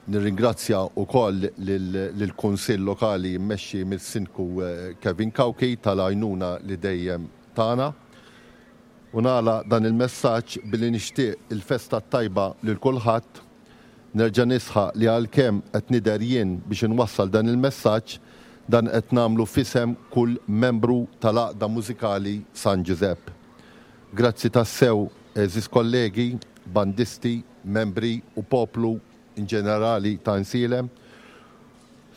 Nirringrazzja wkoll lill-Kunsill Lokali mmexxi mis-Sindku Kevin Cauchi tal-għajnuna li dejjem tagħna. U nagħlaq dan il-messaġġ billi nixtieq il-festa tajba lil kulħadd. Nerġa' nisħaq li għalkemm qed nidher jien biex inwassal dan il-messaġġ, dan qed nagħmlu f'isem kull membru tal-Għaqda Mużikali San Giuseppe. Grazzi tassew, għeżież kollegi, bandisti, membri u poplu in ġenerali ta' Għajnsielem,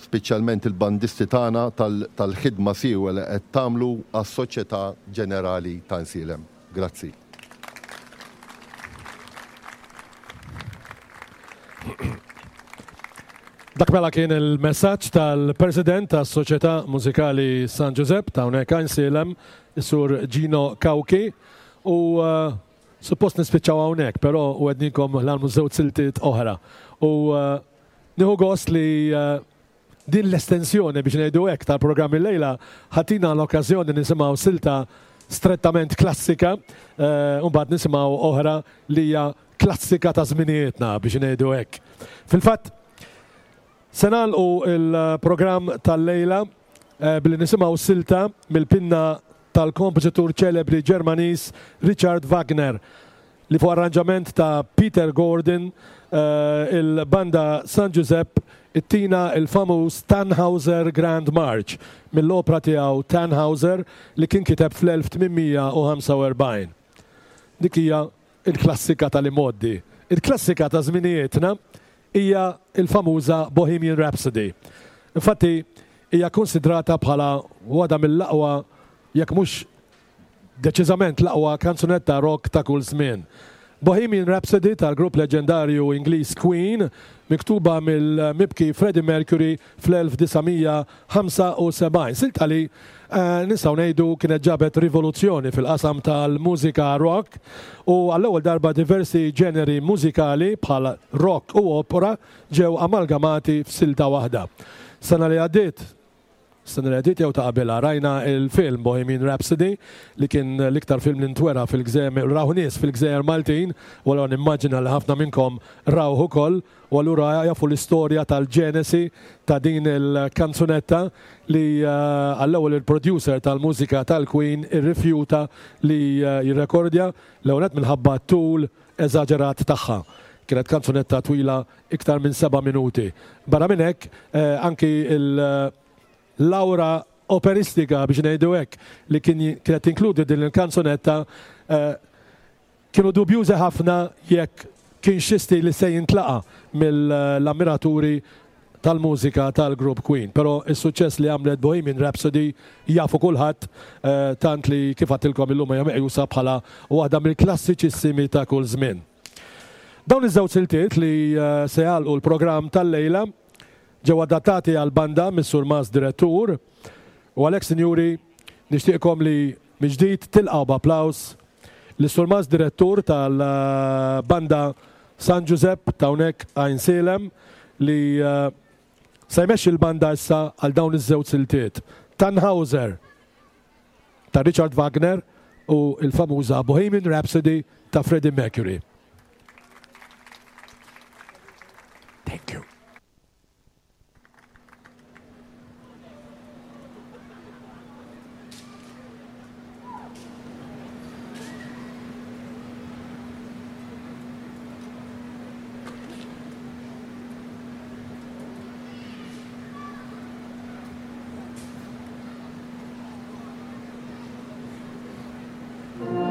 speċjalment il-bandisti tagħna, tal-ħidma siewa li qed tagħmlu għas-soċjetà ġenerali ta' Għajnsielem. Grazzi. Dak mela kien il-messaġġ tal-President tas-Soċjetà Mużikali San Giuseppe ta' hawnhekk Għajnsielem, is-Sur Gino Cauchi, u uh, suppost nispiċċaw hawnhekk, però wegħednikom l-għalmu żewġ siltiet oħra. U uh, nieħu gost li uh, din l-estensjoni biex ngħidu hekk tal-programm illejla ħatina l-okkażjoni nisimgħu silta strettament klassika, u mbagħad nisimgħu oħra li hija klassika ta' żminijietna biex ngħidu hekk. Fil-fatt, se nagħlqu il-programm tal-lejla billi nisimgħu silta mill-pinna tal-kompożitur ċelebri Ġermaniż Richard Wagner, li fuq arranġament ta' Peter Gordon il-banda San Giuseppe ittina il-famuż Tannhauser Grand March mill-opra tiegħu Tannhauser li kien kiteb fl-elf tmien mija u ħamsa u erbgħin. Dik hija il-klassika tal-imoddi. Il-klassika ta' żminijietna hija il-famuża Bohemian Rhapsody. Infatti, hija konsidrata bħala waħda mill-aqwa, jekk mhux deċiżament l-aqwa kanzunetta rock ta' kull żmien. Bohemian Rhapsody tal-grupp leġendarju Ingliż Queen, miktuba mill-mibki Freddie Mercury fl-elf disa' mija ħamsa u sebgħin. Silta li, eh, nistgħu ngħidu kienet ġabet rivoluzzjoni fil-qasam tal-mużika rock u għall-ewwel darba diversi ġeneri mużikali bħal rock u opera ġew amalgamati f'silta waħda. Sena li għaddiet, sena li għaddiet jew ta' qabilha, rajna il-film Bohemian Rhapsody li kien l-iktar film li ntwera fil-gżejjer, raw nies fil-gżejjer Maltin, u allura nimmaġina li ħafna minnkom rawh ukoll, u allura jafu l-istorja tal-ġenesi ta' din il-kanzunetta li, eh, għall-ewwel il-producer tal-mużika tal-Queen irrifjuta li, eh, jirrekordja l-ewwel nett minħabba tul eżaġerat tagħha. Kienet kanzunetta twila iktar minn seba' minuti. Barra minn hekk, eh, anki il-lawra operistika biex ngħidu hekk li kien kienet tinkludi din il-kanzunetta, eh, kienu dubjużi ħafna jekk kien xi stil li se jintlaqa' mill-ammiraturi tal-mużika tal-grupp Queen. Però is-suċċess li għamlet Bohemian Rhapsody jafu kulħadd, eh, tant li kif għedtilkom illum hija meqjusa bħala waħda mill-klassiċissimi ta' kull żmien. Dawn iż-żewġ siltiet li, eh, se jagħlqu l-programm tal-lejla ġew adattati għal banda mis-Sur Mas Direttur, u għalhekk, sinjuri, nixtieqkom li mill-ġdid tilqgħu b'applaws lis-Sur Mas Direttur tal-banda San Giuseppe ta' hawnhekk Għajnsielem li, eh, se jmexxi l-banda issa għal dawn iż-żewġ siltiet. Tannhauser ta' Richard Wagner u l-famuża Bohemian Rhapsody ta' Freddie Mercury. Thank you. Thank you.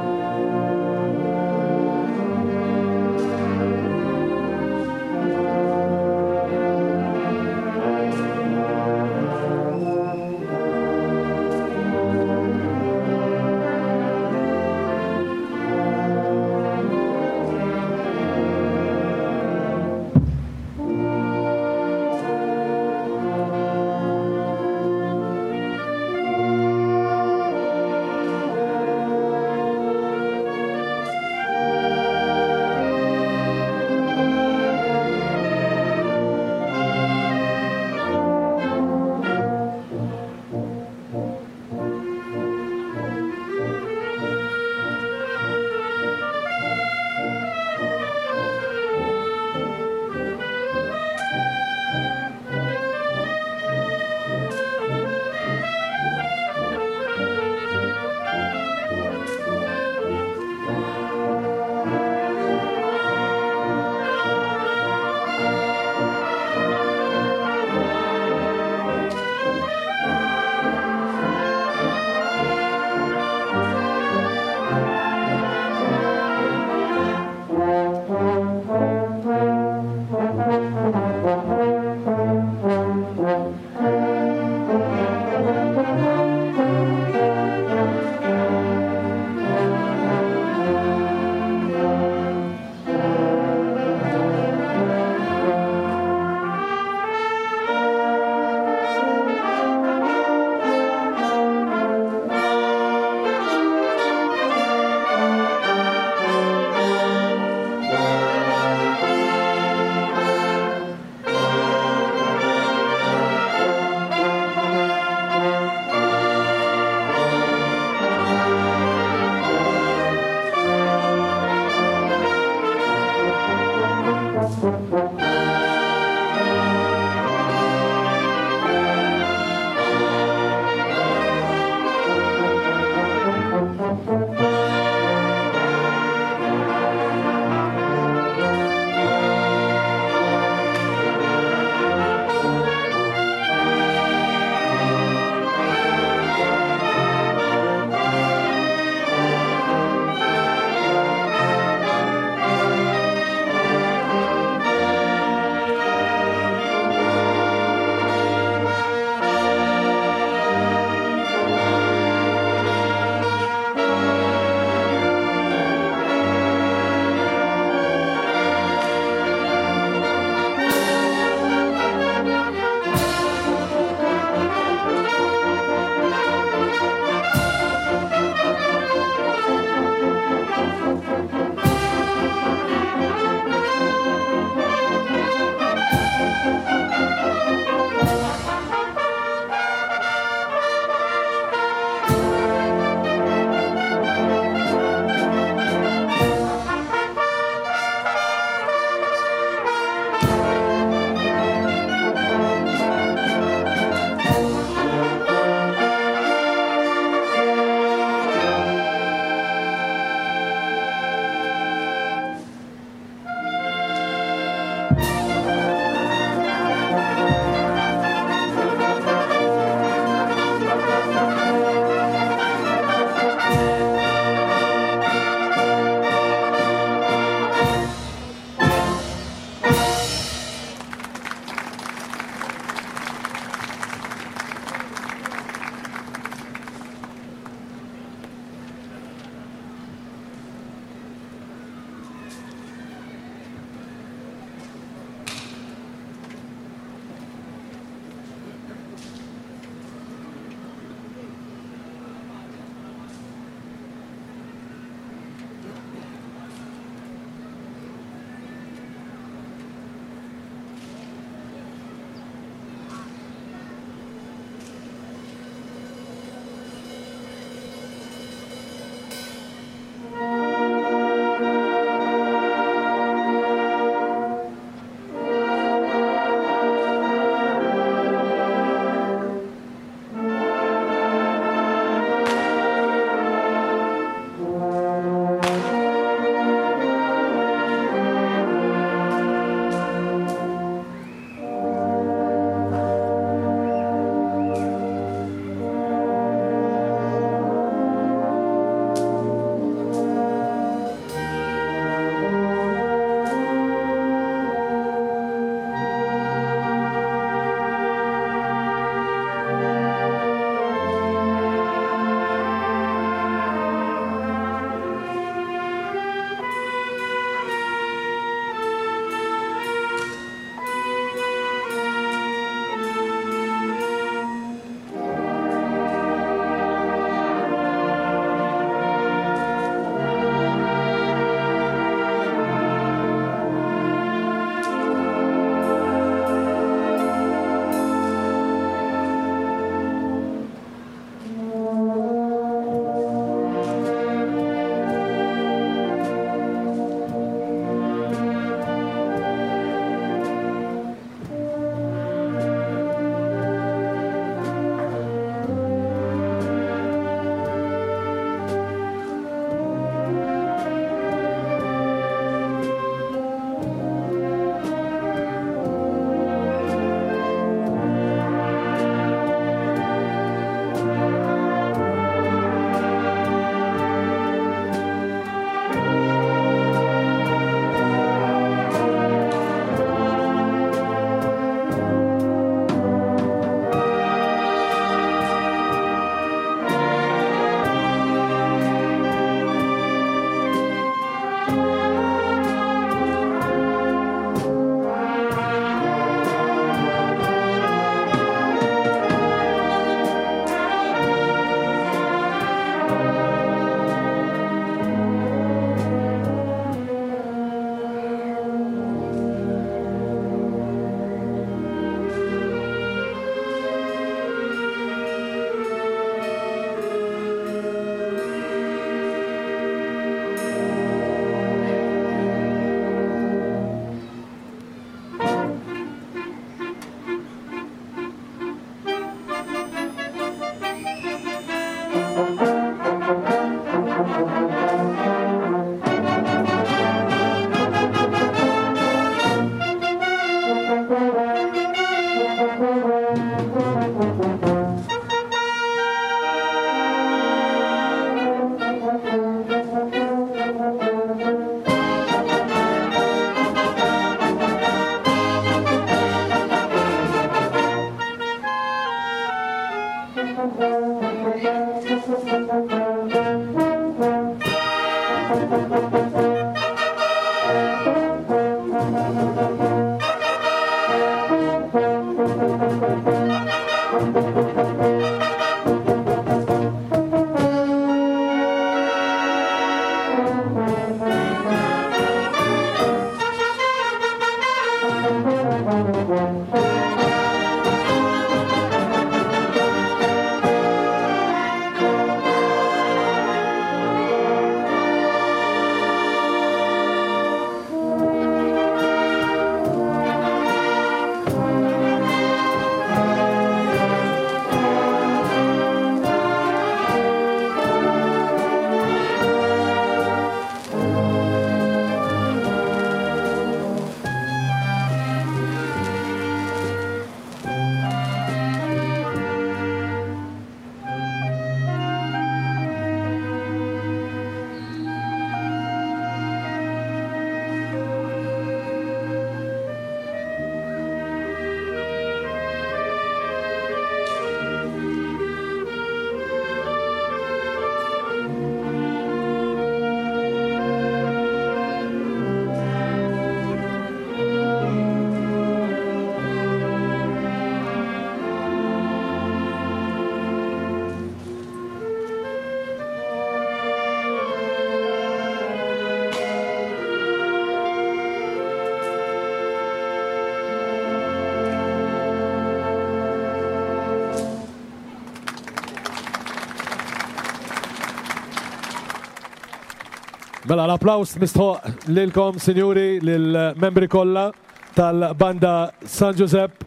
Mela l-applaus mistħoq lilkom, sinjuri, lill-membri kollha tal-banda San Giuseppe.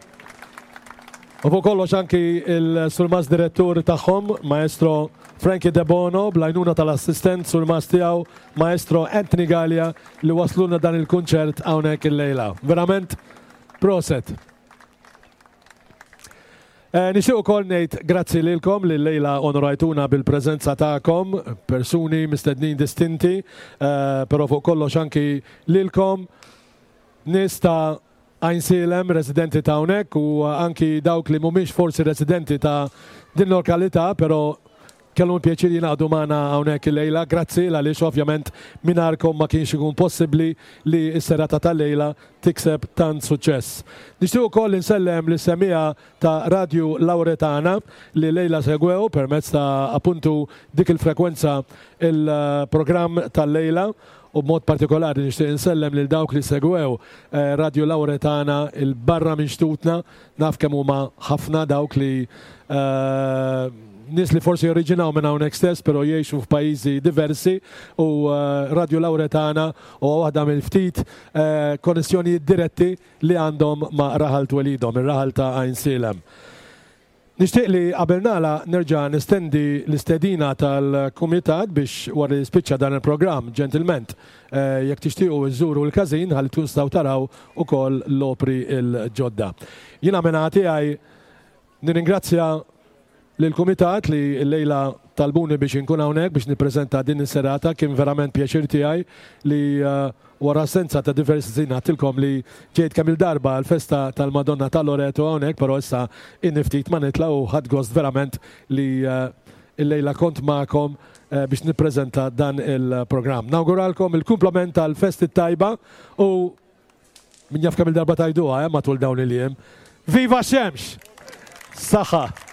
U fuq kollox anki il-surmast direttur tagħhom, Maestro Frankie De Bono, bl-għajnuna tal-assistent surmast tiegħu, Maestro Anthony Gallia, li waslulna dan il-kunċert hawnhekk illejla. Verament, proset. Eh, Nixtieq ukoll ngħid grazzi lilkom li llejla onorajtuna bil-preżenza tagħkom, persuni mistednin distinti, eh, però fuq kollox anki lilkom nies ta' Għajnsielem, residenti ta' hawnhekk u anki dawk li mhumiex forsi residenti ta' din lokalità, però kellhom pjaċir jingħaqdu magħna hawnhekk illejla. Grazzi għaliex ovvjament mingħajrkom ma kienx ikun possibbli li s-serata tal-lejla tikseb tant suċċess. Nixtieq ukoll insellem lis-semmiegħa ta' Radio Lauretana li llejla segwew permezz ta' appuntu dik il-frekwenza il-programm tal-lejla u b'mod partikolari nixtieq insellem lil dawk li segwew eh, Radio Lauretana 'il barra minn xtutna, naf kemm huma ħafna dawk li eh, nies li forsi oriġinaw minn hawnhekk stess, però jgħixu f'pajjiżi diversi u eh, Radio Lauretana huwa waħda mill-ftit eh, konnessjonijiet diretti li għandhom ma' raħal twelidhom, ir-raħal ta' Għajnsielem. Nixtieq li qabel nagħlaq nerġa' nestendi l-istedina tal-kumitat biex wara li spiċċa dan il-programm, ġentilment, eh, jekk tixtiequ iżżuru l-każin ħalli tkun tistgħu taraw ukoll l-opri l-ġodda. Jiena minn tiegħi nirringrazzja lill-kumitat li llejla talbuni biex inkun hawnhekk biex nippreżenta din is-serata. Kien verament pjaċir tiegħi li eh, wara assenza ta' diversi snin għedtilkom li ġejt kemm il-darba l-festa tal-Madonna ta' Loreto hawnhekk, però issa ili ftit ma nitla' u ħadt gost verament li eh, illejla kont magħkom eh, biex nippreżenta dan il-programm. Nawguralkom il-kumplament tal-festi tajba u min jaf kemm il-darba tgħiduha eh, matul dawn il-jiem. Viva x-xemx! Saħħa!